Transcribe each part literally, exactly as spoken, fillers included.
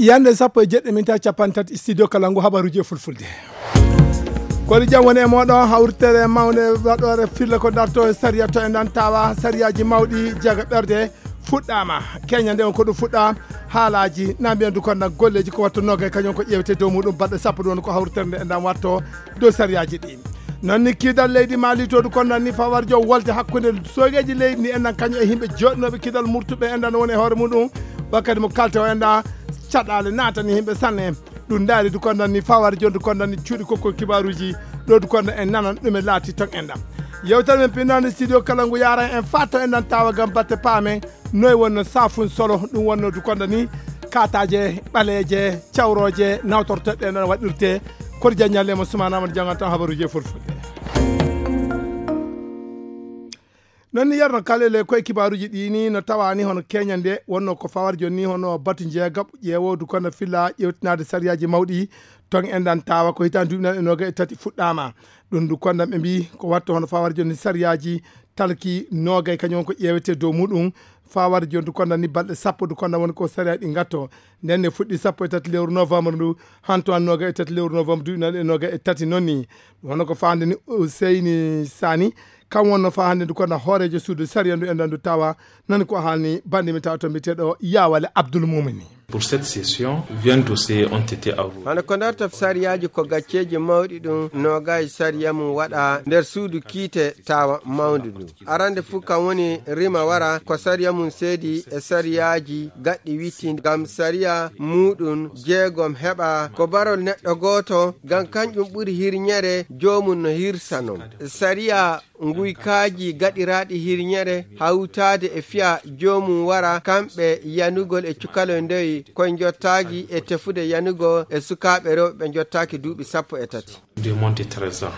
Yande sappo e jeɗɗi minta capanɗe tati, studio kala ngu habaruji e fulfulde. Kodi jam woni e moɗon hawritere mawne waɗore filla ko darto e sariya to e nan tawa sariyaji mawɗi jaga ɓerde fuɗɗama. Kenya nde on ko ɗum fuɗɗa haalaji na mbiyan du konda golleji ko watto nogay kañum ko ƴewete dow muɗum baɗɗo sappo ɗum ko hawritere nde e ndan watto dow sariyaji ɗi. Non ni kidal leydi Mali to du konda ni fawarjo wolde hakkunde sogeji leydi ni endan kañum e himɓe joɗnoɓe kidal murtuɓe endan woni e hoore muɗum wakkati mo kalte o enda caɗɗale natani himɓe sanne. Ɗum ndaari du kondan ni fawaade jonde kondan ni cuuɗi kokko kibaruji ɗo du kondan en nanan ɗum e laati ton enɗam. Yewtere men pinnande studio kala ngu yaran en fatto enɗan tawa gam batte paamen noy wonno safun solo ɗum wonno du kondan ni kataje ɓaleje cawroje nawtorteɗe nan waɗirte. Koto janñalle mo sumanama jangan tan habaruji e fulfulde. Non ni yarno kalele koye kibaruji ɗi ni no tawani hono keñande wonno ko fawar jonni hono batu jeegaɓ ƴeewodu kono filla ƴewtinade sariyaji mawɗi ton enɗan tawa ko hitan duuɓi nan e noga e tati fuɗɗama. Ɗum du kondan ɓe mbi ko watto hono fawar jonni sariyaji talki nogay kañum ko ƴeewete dow muɗum. Fawar jonni du kondan ni balɗe sappo du kondan woni ko sariyaji ɗi gatto. Nden ne fuɗɗi sappo e tati lewru novembre ndu hanto an noga e tati lewru novembre duuɓi nan e noga e tati non ni. Ɗum hono ko fande ni Seyni Sani kam wonno fa hannde ndu kono hooreejo suudu sariya ndu e ndu tawa nani ko haalni bannde mi tawa to mbiyeteeɗo Yawale Abdoul Moumini. Pour cette session, vingt dossiers ont été avoués. Hano ko ndarta sariyaaji ko gacceeji mawɗi ɗum noogay sariya mum waɗa nder suudu kiite tawa mawndu ndu. Arande fuu kam woni rima wara ko sariya mum seedi e sariyaaji gaɗɗi witti ngam sariya muɗum jeegom heɓa ko barol neɗɗo gooto ngam kanƴum ɓuri hirñere joomum no hirsa non. Sariya nguykaaji gaɗiraaɗi hirñere hawtaade e fiya joomum wara kamɓe yanugol e cukaloy ndoy koye njottaaki e tefude yanugol e sukaaɓe rewɓe ɓe njottaaki duuɓi sappo e tati. De moins de treize ans.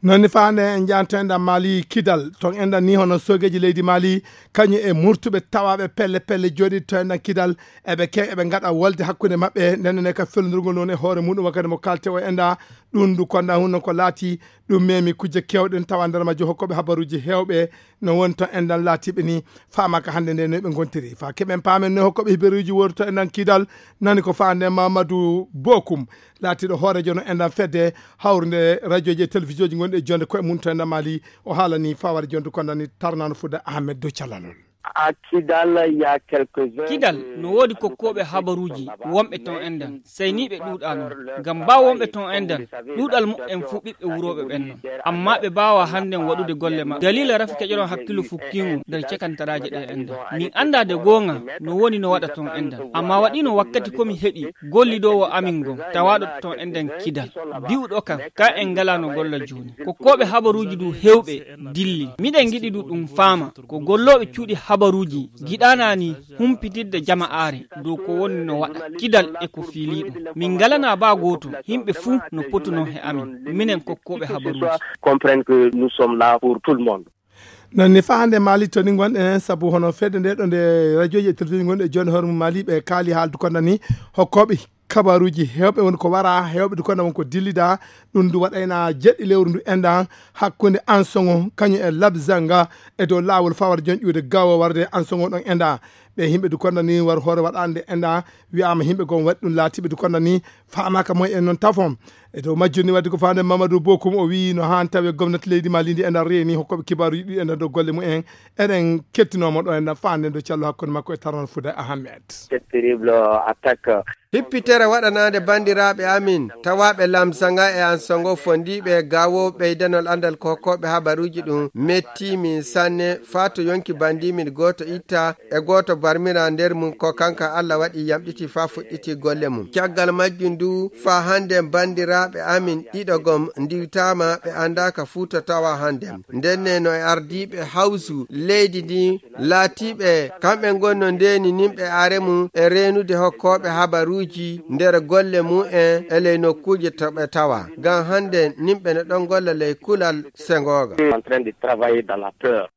Non ni faande en jaanto enɗan Mali Kidal ton enɗan ni hono sogeji leydi Mali kañum e murtuɓe tawaɓe pelle pelle jooɗi to enɗan Kidal eɓe ke eɓe ngaɗa wolde hakkunde maɓɓe nden ne ka fellondirgol non e hoore muɗum wakkati mo kalte o enɗa ɗum du konda hunno ko laati ɗum memi kujje kewɗen tawa nder majjo hokkoɓe habaruji hewɓe no woni to enɗan laatiɓe ni faama ka hannde nde no ɓe gontiri fa keɓen paamen no hokkoɓe hiberuji wori to enɗan Kidal nani ko faande Mamadou Bokum laatiɗo hoorejo no enɗan fedde hawrude radioji e télévisionji gonɗi e jonde koye mum to enɗan Mali o haalani faware jonde kondani tarnano fuɗa Ahmed Dow Calalol. À Kidal, il y a quelques-uns Kidal de no woodi kokkooɓe habaruuji wonɓe ton enɗan sayniiɓe ɗuuɗal mum ngam mbaa wonɓe ton enɗan ɗuuɗal muɓɓen fuu ɓiɓɓe wurooɓe ɓen non. Ammaa ɓe mbaawaa hannden waɗude golle maɓɓe daliila rafi keƴoron hakkillu fukkiingu nder cekantaraaje ɗe enɗan. Min anndaa de goonga no woni no waɗa ton enɗan. Ammaa waɗiino wakkati ko mi heɓi gollidoowo amin ngon tawaaɗo ton enɗan Kidal bi'uɗo kam ka en ngalaa no golla jooni. Kokkooɓe habaruuji du heewɓe dilli. Miɗen ngiɗi du ɗum faama ko gollooɓe cuuɗi habaruuji giɗaanaa ni humpitidde jama'aare dow ko woni no waɗa Kidal e ko fiiliiɗum. Min ngalanaa baa gooto, yimɓe fuu no potunoo he amin, minen kokkooɓe habaruuji. Comprendre que nous sommes là pour tout le monde. Non ni fa hannde Mali to ni ngonɗen sabu hono fedde nde ɗo nde radioji e télévision gonɗe e jonde hoore mum Mali ɓe kaali haaldu konda ni hokkooɓe kabaruuji heewɓe woni ko wara heewɓe du konda won ko dillida ɗum du waɗayna jeɗɗi lewru ndu enɗan hakkunde Ansogo kañum e Labzanga e dow laawol fawar jonƴude gawo warde Ansogo ɗon enɗa ɓe yimɓe du konda ni war hoore waɗande enɗa wiyama yimɓe gon waɗi ɗum laatiɓe du konda ni faamaka moy en noon tafon e dow majjum ni wadde ko faande Mamadou Bokum o wi no han tawi gomnati leydi Mali ndi enɗan reeni hokkoɓe kibaruji ɗi enɗan dow golle mumen eɗen kettinoma ɗo enɗan faande do callo hakkunde makko e tarnal Fouda Ahmed. Cette terrible attaque. Hippitere waɗanaande banndiraaɓe amin tawaaɓe Lamsanga e Ansogo fondiiɓe e gawo ɓeydanol anndal ko hokkooɓe habaruuji ɗum metti min sanne faa to yonki banndiimin gooto itta e gooto barmira nder mum ko kanka Allah waɗi yamɗiti faa fuɗɗiti golle mum. Caggal majjum du faa hannden banndiraaɓe amin ɗiɗo gom ndiwtaama ɓe anndaaka fuu to tawa hannden. Ndenne no e ardiiɓe hawsu leydi ndi laatiiɓe kamɓe ngonno ndeeni nimɓe are mum e reenude hokkooɓe habaruuji nder golle mum en e ley nokkuuje to ɓe tawa. Ngam hannde nimɓe no ɗon golla ley kulal sengooga. En train de travailler dans la peur.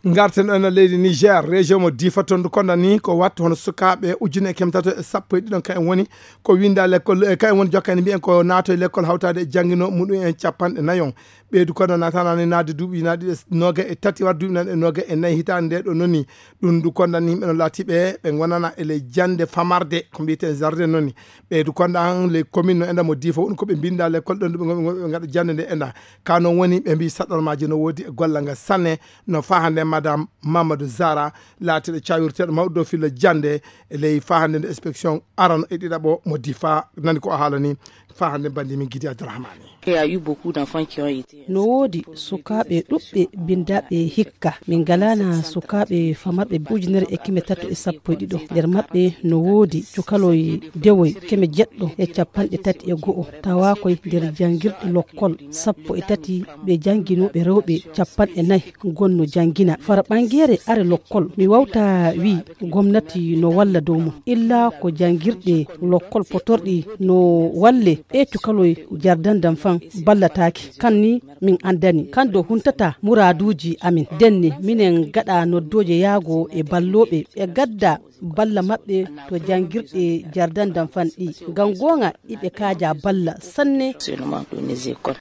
Ngarten ɗo ena leydi Niger, région mo Difa, toon ndu konda ni ko wattu hono sukaaɓe ujune e keme tato e sappo e ɗiɗon kayen woni ko winda lekkol, e kayen woni jokkani mbiyen ko naato e lekkol hawtaade e janngino muɗum en capanɗe nayon. Ɓeydu kono natanani naade duuɓi naɗi e noga e tati war duuɓi naɗi e noga e nayi hitaande nde ɗo noni. Ɗum ndu konda ni yimɓe no laati ɓe, ɓe ngonana e ley jannde famarde, ko mbiyeten jardin noni. Ɓeydu konda an ley commune no enda mo Difa woni ko ɓe mbinda lekkol ɗon, ɗum ɓe ngaɗa jannde nde enda. Ka noon woni ɓe mbi saɗormaji no woodi e golla nga sanne, no fahande madame Mamadou Zara, laatiɗo cawirteɗo mawɗo dow filla jannde e ley fahande nde inspection arano e ɗiɗaɓo mo Difa. Nani ko o haalani fahande bandi min Gidi Abdourahmani. Il y a eu beaucoup d'enfants qui ont été. No woodi sukaaɓe ɗuɓɓe bindaaɓe hikka. Min ngalaana sukaaɓe famarɓe ujunere e keme tato e sappo e ɗiɗo. Nder maɓɓe no woodi cukaloy dewoy keme jeɗɗo e capanɗe tati e go'o. Tawa koy nder janngirɗe lokkol sappo e tati, ɓe jannginooɓe rewɓe capanɗe nayi gonno janngina. Fara ɓangeere are lokkol, mi wawta wi gomnati no walla dow mum. Illa ko janngirɗe lokkol potorɗi no walle e cukaloy jardin d'enfants ballataake. Kan ni min anndani. Kan do huntata muraaduuji amin. Denne minen gaɗa noddooje yaago e ballooɓe ɓe gadda balla maɓɓe to janngirɗe jardin d'enfants ɗi. Ngam goonga iɓe kaaja balla sanne. Seulement dans les écoles.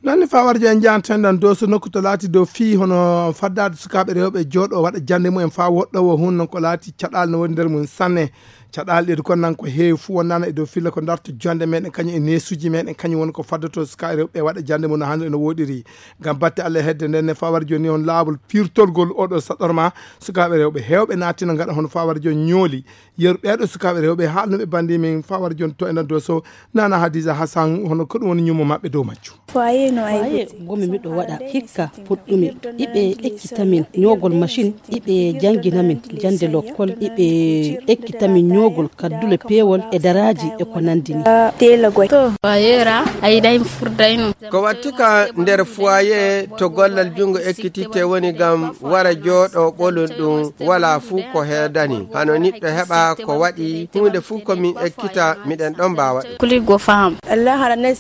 Nanni fawarjo en jahanten ɗan dow so nokku to laati dow fii hono faddaade sukaaɓe rewɓe jooɗo waɗa jannde mumen faa woɗɗowo hun non ko laati caɗaali no woni nder mum sanne. Caɗaali ɗeeɗi kon nan ko heewi fuu wonnaano e dow filla ko darto jonde meɗen kañum e neesuuji meɗen kañum woni ko faddoto sukaaɓe rewɓe waɗa jannde mum no hannde no woɗiri. Ngam batte Allah e hedde nden ne fawarjo ni on laawol pirtolgol oɗo saɗorma sukaaɓe rewɓe heewɓe naatino ngaɗa hono fawarjo ñooli. Yeru ɓeeɗo sukaaɓe rewɓe haalnuɓe bandi min fawar jon to ena doso nana Hadiza Hassan hono ko ɗum woni ñummo maɓɓe dow majjum. Foyer no ay Foyer gomi miɗo waɗa hikka puɗɗumi iɓe ekkita min ñoogol machine iɓe janngina min jannde lokkol iɓe ekkita min ñoogol kaddule peewol e daraaji e ko nanndi ni. Tela goy to foyer a ayiɗay mi furday no. Ko wattuka nder foyer to gollal junngo ekkititte woni ngam wara jooɗo ɓolum ɗum wala fuu ko heedani hano niɗɗo heɓa ko waɗi huunde fuu ko min ekkita miɗen ɗon mbaawa ɗum. Kuli go faham.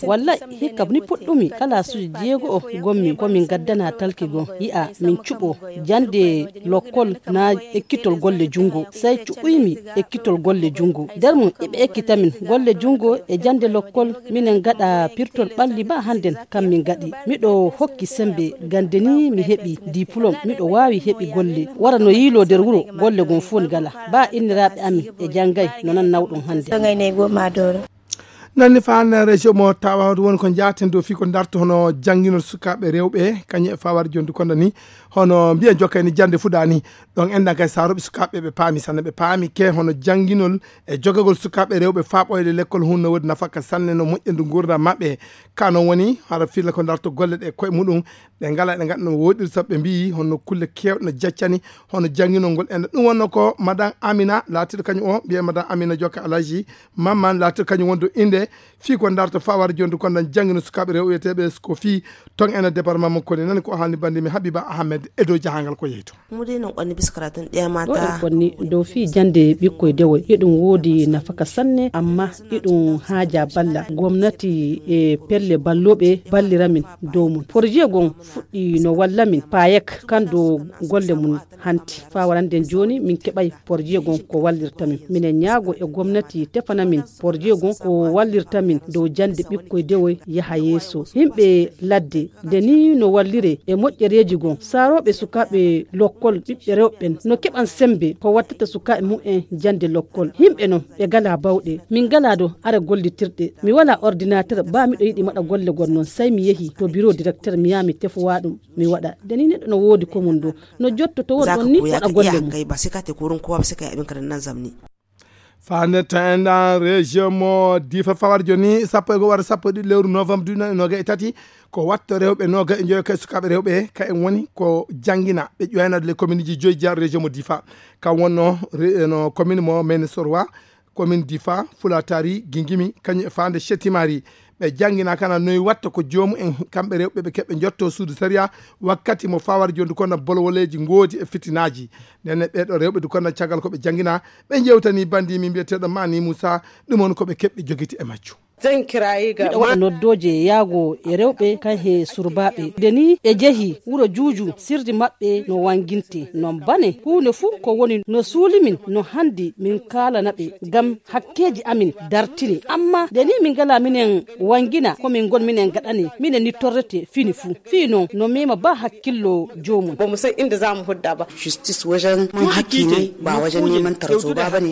Wallay hikka ni puɗɗumi kalaasuuji jeego o gommi ko min gaddana talki gon yi'a min cuɓo jannde lokkol na ekkitol golle junngo. Sey cuɓuymi ekkitol golle junngo. Nder mum eɓe ekkita min golle junngo e jannde lokkol. Minen gaɗa pirtol ɓalli ba hannden kam min gaɗi. Miɗo hokki sembe gande ni mi heɓi diplôme miɗo waawi heɓi golle. Wara no yiilo nder wuro golle gon fof ngala. Ba inniraaɓe amin e janngay no nan nawɗum hannde. Nanni fa hannde région mo tawa woni ko jaaten dow fii ko darto hono jannginol sukaaɓe rewɓe kañum e fawar jondu kondo ni hono mbiyen jokkay ni jannde fuɗa ni. Ɗon enɗan kay saroɓe sukaaɓe ɓe paami sanne ɓe paami ke hono jannginol e jogagol sukaaɓe rewɓe faa ɓooyde lekkol hun no woodi nafaka sanne no moƴƴandu nguurndam maɓɓe. Ka noon woni hara filla ko darto golle ɗe koye muɗum. Ɓe ngala ɗe ngaɗa no woɗiri sabu ɓe mbiyi honno kulle kewɗe no jaccani hono jannginol ngol enɗan ɗum wonno ko madan Amina laatiɗo kañum o mbiye madan Amina jokka Alhaji Mamman laatiɗo kañum wonde innde fii ko darto fawar jondu kon nan janngino sukaaɓe rewɓe wiyeteeɓe ko fii ton ena département mo koni nani ko haalni bandi mi Habiba Ahmed e dow jahangal ko yehi to. Mude no konni biskara tun ɗiya mata. Ɗo en konni dow fii jannde ɓikkoy dewoy hiɗum woodi nafaka sanne amma hiɗum haaja balla gomnati e pelle ballooɓe ballira min dow mum. Projet gon fuɗɗi no walla min payek kan dow golle mum. Hanti faa warande jooni min keɓay porje gon ko wallirta min minen ñaago e gomnati tefana min porje gon ko wallirta min dow jannde ɓikkoy dewoy yaha yeeso. Yimɓe ladde nde ni no wallire e moƴƴereeji gon saarooɓe sukaaɓe lokkol ɓiɓɓe rewɓe ɓen no keɓan semmbe ko wattata sukaaɓe mum en jannde lokkol. Yimɓe non ɓe ngalaa bawɗe min ngalaa do ara gollitirɗe. Mi walaa ordinateur ba miɗo yiɗi maɗa golle gon non say mi yehi to biro directeur mi yaha mi tefowa ɗum. Mi waɗa nde ni neɗɗo no woodi ko mum ɗo no jottoto won ɗon ni waɗa golle mum. Kay ba sikate kurun kowa ba sikay abin karan nan zamni. Fande ta enɗan région mo difa fawar joni sappo e go wara sappo e ɗiɗi lewru novembre duɗi noga e tati. Ko watto rewɓe noga e joyo kay sukaaɓe rewɓe kay en woni ko janngina ɓe ƴoyanade les commune ji joyi jeya région mo difa. Kam wonno no commune mo mene sorwa commune difa fulatari gingimi kañum e fande chetimari. Ɓe janngina kana noyi watta ko joomu en kamɓe rewɓe ɓe keɓɓe jotto suudu sariya. Wakkati mo fawar jondu kono bolowoleeji ngoodi e fitinaaji. Ndenne ɓeeɗo rewɓe du kono caggal ko ɓe janngina ɓe jewtani bandi min mbiyeteeɗo mani moussa. Ɗum on ko ɓe keɓɓe jogiti e majju. Miɗo waɗa noddooje yaago e rewɓe kan he surbaaɓe. Nde ni ɓe jehi wuro Juuju, sirdi maɓɓe no wanginte. Non bane, huunde fuu ko woni no suuli min, no handi min kaalana ɓe, ngam hakkeeji amin dartini. Amma nde ni min ngala minen wangina ko min ngon minen gaɗani, minen ni torrete fini fuu. Fii non, no mema ba hakkillo joomum. Ba mu san inda za mu hudda ba. Justice wajen man haƙƙi ne, ba wajen neman tarzoma ba ne.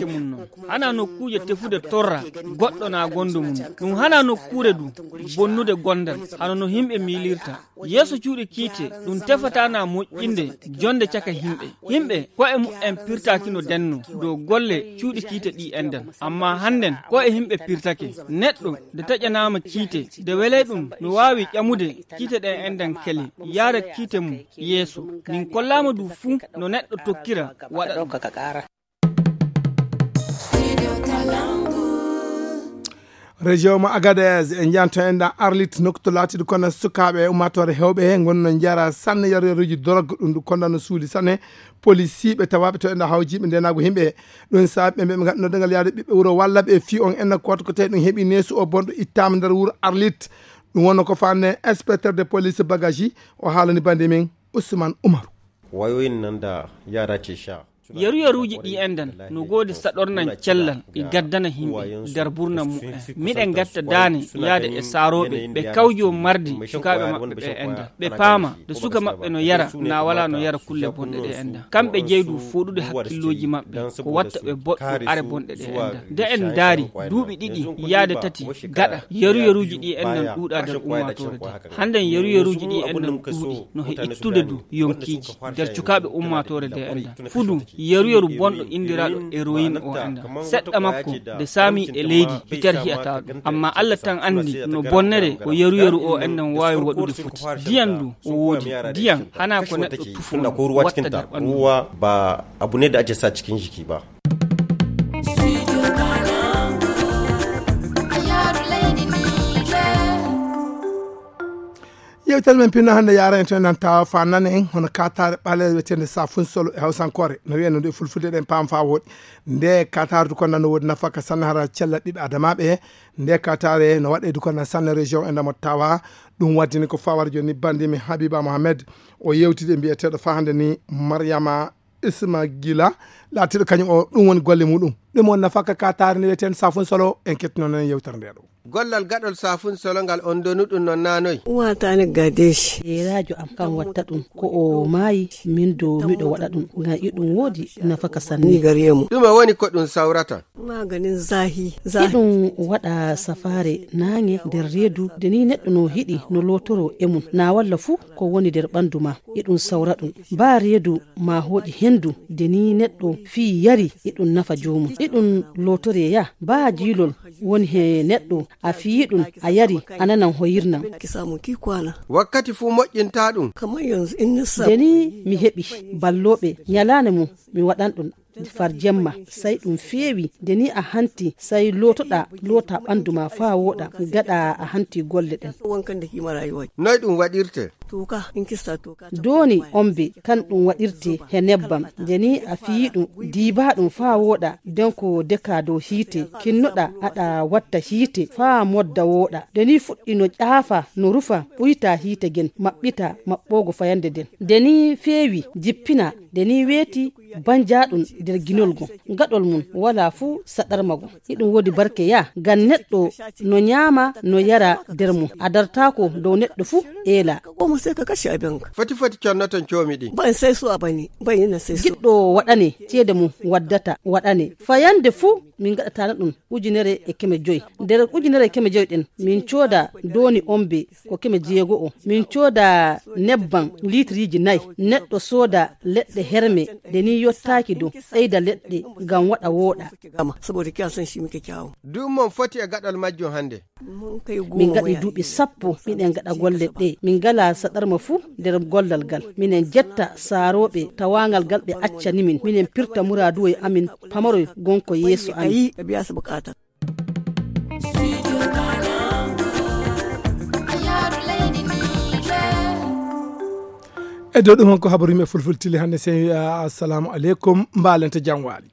Hana nokkuuje tefude torra goɗɗo na gondo mum. Ɗum hana nokkuure du bonnude gondal, hano no himɓe miilirta. Yeeso cuuɗi kiite, ɗum tefata na moƴƴinde jonde caka himɓe. Himɓe ko'e mu'en pirtaaki no denno dow golle cuuɗi kiite ɗi endan. Amma hannden ko'e himɓe pirtake. Neɗɗo de taƴanaama kiite, de welay ɗum no waawi ƴamude kiite ɗen endan kele, yaara kiite mum yeeso. Min kollaama du fuu no neɗɗo tokkira waɗa ɗum. Région mo Agadez, e njanto en ɗan Arlit, nokku to laatiɗo kono sukaaɓe e ummaatoore heewɓe he ngonno njara sanne yaru yaruuji dorog, ɗum ɗum kono no suuli sanne. Polisiiɓe tawaaɓe to en ɗan hawjiiɓe ndenaagu himɓe. Ɗum saabi ɓe ɓe ngaɗno dangal yaade ɓiɓɓe wuro walla ɓe fii on enna kooto ko tawi ɗum heɓi neesu o bonɗo ittaama nder wuro Arlit. Ɗum wonno ko faande inspecteur de police Bagaji, o haalani bande men Ousmane Umaru. Wayoyin nan da yara ke sha. Yaru yaruuji ɗi endan no goodi saɗornan cellal e gaddana himɓe nder burna mu'en. Miɗen gatta daane yaade e saarooɓe ɓe kawjo mardi sukaaɓe maɓɓe ɓe endan. Ɓe paama de suka maɓɓe no yara na wala no yara kulle bonɗe ɗe endan. Kamɓe jeydu fooɗude hakkillooji maɓɓe ko watta ɓe boɗɗo are bonɗe ɗe endan. De en ndaari duuɓi ɗiɗi yaade tati gaɗa yaru yaruuji ɗi endan ɗuuɗa nder ummaatoore de. Hannden yaru yaruuji ɗi endan ɗuuɗi no he ittude du yonkiiji nder cukaaɓe ummaatoore de endan. Fudu yaru yaru bonɗo indiraaɗo héroïne o endan. Seɗɗa makko de saami e leydi hiter hi'ata ɗum. Amma Allah tan anndi no bonnere ko yaru yaru o endan waawi waɗude foti. Diyan du o woodi. Diyan hana ko neɗɗo tufo watta nder ɓanndu. Ruwa ba abu ne da ake sa cikin jiki ba. Yewtere men pinno hannde yaara en to en nanta fa nana en hono katare ɓaleere wiyetende safun solo e hawsankoore no wiyen no nde fulfulde ɗen paam fa wooɗi. Nde katare du ko nan no woodi nafa ka sanne hara cella ɓiɓɓe adamaaɓe he. Nde katare no waɗe du ko nan sanne région e ndamo tawa. Ɗum waddini ko fawar joni bandi mi Habiba Mohamed o yewtide mbiyeteeɗo fa hannde ni Mariama Isma Gila laatiiɗo kañum o ɗum woni golle muɗum. Ɗum woni nafaka ka taari ne wiyeten safun solo en kettino nen yewtere nde ɗo. Gollal gaɗol safun solo ngal on donu ɗum non nanoy. Uwatani gadeshi. E rajo am kan watta ɗum ko o maayi min do miɗo waɗa ɗum ngam iɗum woodi nafaka sanne. Ni gare mu. Ɗume woni ko ɗum sawrata? Maganin zahi. Iɗum waɗa safaare naange nder reedu de ni neɗɗo no hiɗi no lootoro e mum na walla fuu ko woni nder ɓandu ma. Iɗum sawra ɗum ba reedu ma hooƴi hendu de ni neɗɗo fii yari iɗum nafa joomum. Iɗum lootore ya ba jiilol woni he neɗɗo a fii ɗum a yari a nanan hoyirnan. Wakkati fuu moƴƴinta ɗum. De ni mi heɓi ballooɓe nyalaane mum mi waɗan ɗum. Far jemma sai ɗum feewi de ni a hanti sai lootoɗa loota ɓandu ma faa wooɗa gaɗa a hanti golle ɗen. Noy ɗum waɗirte? Dooni ombe kan ɗum waɗirte he nebbam de ni a fiyi ɗum diiba ɗum faa wooɗa den ko deka dow hiite kinnoɗa aɗa watta hiite faa modda wooɗa de ni fuɗɗi no ƴaafa no rufa ɓuyta hiite gen maɓɓita maɓɓoogo fayande den de ni feewi jippina de ni weeti banjaaɗum nder ginol gom gaɗol mum walaa fuu saɗarma gom. Iɗum woodi barke yaa ngam neɗɗo no nyaama no yara nder mum a dartaako dow neɗɗo fuu eelaa. Foti foti connoton coomi ɗin. Giɗɗo waɗane ceede mum waddata waɗane fayande fuu min ngaɗataano ɗum ujunere e keme joy. Nder ujunere e keme joy ɗen min cooda dooni ombe ko keme jeego'o min cooda nebbam liitriiji nay neɗɗo sooda leɗɗe herme de ni yottaaki dow ɓeyda leɗɗe ngam waɗa wooɗa. Du'um mon foti e gaɗal majjum hannde. Min ngaɗi duuɓi sappo miɗen ngaɗa golle ɗe min ngala saɗarma fuu nder gollal ngal minen jetta saarooɓe tawaangal ngal ɓe accani min minen pirta muraaduwoy amin pamaroy gonko yeeso amin. E dow ɗum on ko habaru yimɓe fulfultili hannde sen wiya assalamu aleykum mbaalente jam waali.